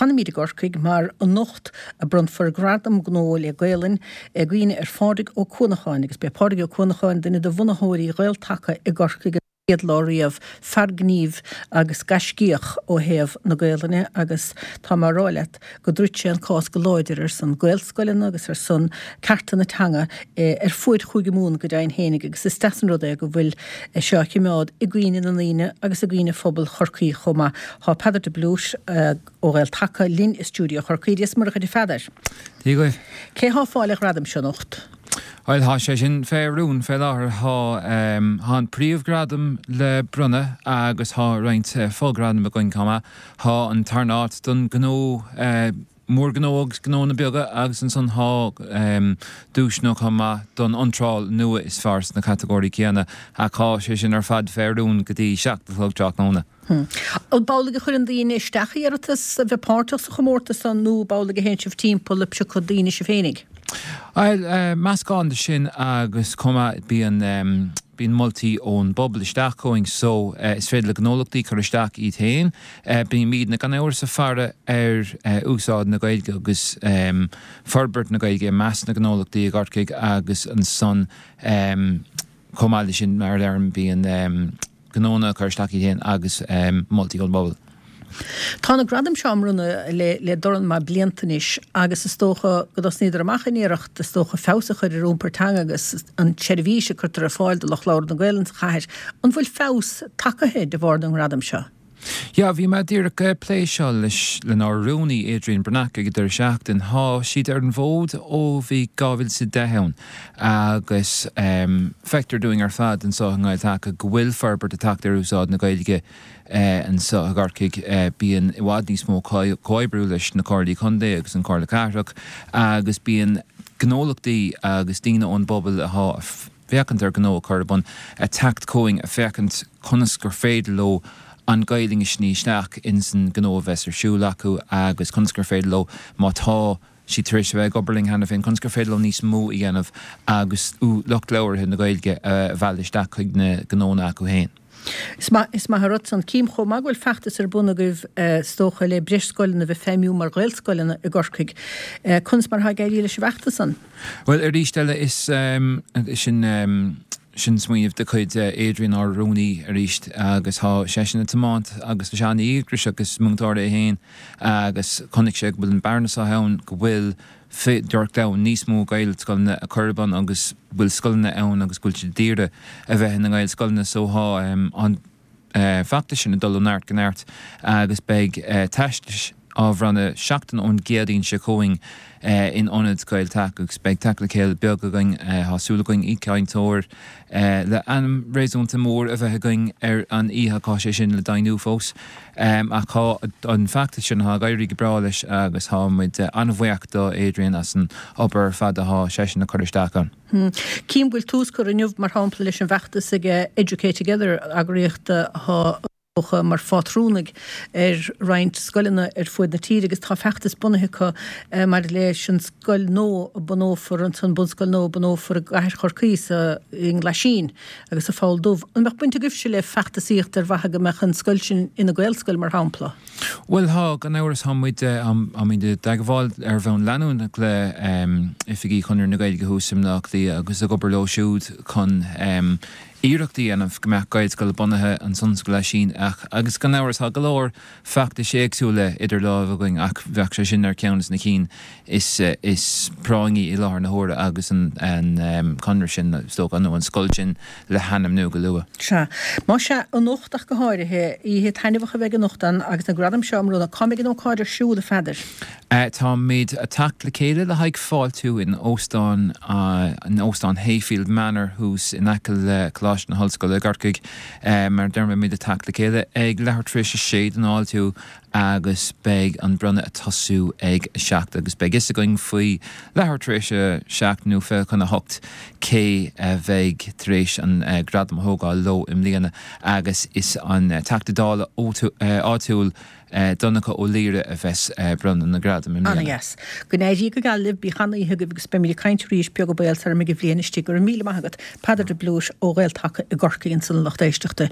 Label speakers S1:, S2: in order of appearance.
S1: Fanfaimid i gCorcaigh mar anocht a bronnfar Gradam Gnó le Gaelainn i gcuimhne ar Phádraig Ó Cuanacháin agus b'é Pádraig Ó Cuanacháin duine de bhunaitheoirí Ghael-Taca i gCorcaigh an chéad lá riamh, fear gnímh agus gaiscíoch ó thaobh na Gaelainne agus tá mé a rá leat go dtroid sé an cás go láidir ar son Gaelscoileanna agus ar son cearta na teanga ar fuaid Chúige Mumhan go deimhin fhéinig agus is deas an rud é go bhfuil seo á chimeád i gcuimhne na ndaoine agus i gcuimhne phobal Chorcaí chomh maith. Tá Peadar de Blúit ó Ghael-Taca linn i stiúideo Chorcaí. Dia is Muire dhuit a Pheadair.
S2: Dia dhuit.
S1: Cé thá ag fáil an ghradaim seo anocht?
S2: Bhuel, thá sé sin fé rún fé láthair. Thá, thá an príomhghradam le bronnadh agus thá roinnt fo-ghradaim againn chomh maith. Thá an tarna áit don gnó mór-ghnó agus gnónna beaga agus ansan thá duaiseanna chomh maith don iontráil nua is fearr sna catagóirí céanna ach thá sé sin ar fad fé rún go dtí 7 a chlog tráthnóna.
S1: An amhlaidh a chuireann daoine isteach iarratas a bheith páirteach sa chomórtas san nó ab amhlaidh a théann sibh timpeall ag piocadh daoine sibh féinig?
S2: Bhuel, meascán de sin agus chomh maith bíonn bíonn moltaí ón bpobal isteach chugainn so is féidir le gnólachtaí cur isteach iad féin. Bímidne gan amhras ag faire ar úsáid na Gaeilge agus forbairt na Gaeilge i measc na ngnólachtaí i gCorcaigh agus ansan chomh maith leis sin mar a deirim bíonn gnónna ag cur isteach iad féin agus moltaí ón bpobal.
S1: Tá na gradaim seo á mbronnadh le dornán maith blianta anois agus is dócha go dtosnaíodar amach in iarracht is dócha feabhas a chur ar iompar teanga agus an tseirbhís a cuirtear ar fáil do lucht labhartha na Gaelainne sa chathair. An bhfuil feabhas tagtha de bharr na ngradam seo?
S2: Yeah, bhí mé díreach ag plé seo leis lenár rúnaí Adrian Breathnach ag an deireadh seachtain. Thá siad ar an bhfód ó bhí 2010 ann agus feictear dúinn ar fad anseo i nGael-Taca go bhfuil forbairt ag teacht ar úsáid na Gaeilge anseo i gCorcaigh. Bíonn i bhfad níos mó comhoibriú leis na Comhairlí Contae agus an Chomhairle Cathrach agus bíonn gnólachtaí agus daoine ón bpobal athá féachaint ar gnó a chur ar bun, ag teacht chugainn ag féachaint conas gur féidir leo an Ghaelainn a shní isteach ins an gnó a bheas ar siúl acu agus conas gur féidir leo, má tá siad tar éis a bheith ag obair linn cheana féin, conas gur féidir leo níos mó a dhéanamh agus lucht labhartha na Gaeilge a mhealladh isteach chuig na gnónna acu féin.
S1: Is maith, is maith an rud san. Cím chomh maith go bhfuil feachtas ar bun agaibh is dócha le breis scoileanna a bheith feidhmiú mar Ghaelscoileanna i gCorcaigh. Conas mar atá ag éirí leis an bhfeachtas san?
S2: Bhuel, arís eile, is sin, sin smaoineamh de chuid Adrian, ár rúnaí, arís agus tá seisean ag tiomáint agus tá sé an-dhíograiseach agus múinteoir é féin agus chonaic sé go bhfuil an bearna seo ann, go bhfuil féidearthacht ann níos mó Gaelscoileanna a chur ar bun agus go bhfuil scoileanna ann agus go bhfuil siad ag iarraidh a bheith ina nGaelscoileanna so thá an feachtas sin ag dul ó neart go neart agus beidh teastais á bhronnadh seachtain ón gCéadaoin seo chugainn in Ionad Gael-Taca agus beidh teacht le chéile beag againn. Tá súil againn aoichainteoir le ainm réasúnta mór a bheith againn ar an oíche ach tá sé sin le deimhniú fós. Ach tá an feachtas sin, tá ag éirí go breá leis agus tá muid an-bhuíoch do Adrian as an obair ar fad atá seisean ag cur isteach ann.
S1: Cím go bhfuil tús curtha inniu, mar shampla, leis an bhfeachtas ag Educate Together, eagraíocht atá mar phátrúnaigh ar roinnt scoileanna ar fuaid na tíre agus tá feachtas bunaithe acu maidir leis an scoil nua a bunófar ansan, bunscoil nua a bunófar i gcathair Chorcaí sa i nGlaisín. Agus sa Pholl Dubh. An mbeadh baint agaibhse le feachtasaíocht ar mhaithe go mbeadh an scoil sin ina Gaelscoil, mar shampla?
S2: Bhuel, tá, gan amhras. Tá muid, tá muid i dteagmháil ar bhonn leanúnach le oifigí Chonradh na Gaeilge thuas i mBleá Cliath agus ag obair leo siúd chun iarracht a dhéanamh go mbeadh Gaelscoil bunaithe ansan sa Ghlaisín ach, agus gan amhras, tá go leor feachtais éagsúla idir lámha againn ach bheadh sé sin ar cheann de na cinn is is práinní i láthair na huaire agus an conradh sin, is dócha, nó an scoil sin le hainmniú go luath.
S1: Sea. Más ea, anocht ach go háirithe, oíche taitneamhach a bheidh anocht ann agus na gradaim seo á mbronnadh. Cá mbeidh an ócáid ar siúl, a Pheadair?
S2: Táimid ag teacht le chéile le haghaidh fáiltiú in óstán in Óstán Hayfield Manor thuas in aice le Coláiste na hOllscoile i gCorcaigh. Mar a deirim, beimid ag teacht le chéile ag leathuair tar éis a sé don fháiltiú agus beidh an bronnadh ag tosú ag a 7 agus beidh fhios againn faoi leathuair tar éis a 7 nó 7:40 cé a bheidh tar éis an gradam a thógáil leo i mbliana agus is an Teachta Dála áitiúil Donncha Ó Laoghaire a bheas ag bronnadh na ngradam i mbliana.
S1: Ana-dheas. Go n-éirí go geal libh, bíodh an-oíche agaibh agus beimid ag caint arís beag an baol sara mbeidh an bhliain istigh. Go raibh míle maith agat, Peadar de Blúit ó Ghael-Taca i gCorcaigh ansan a lucht éisteachta.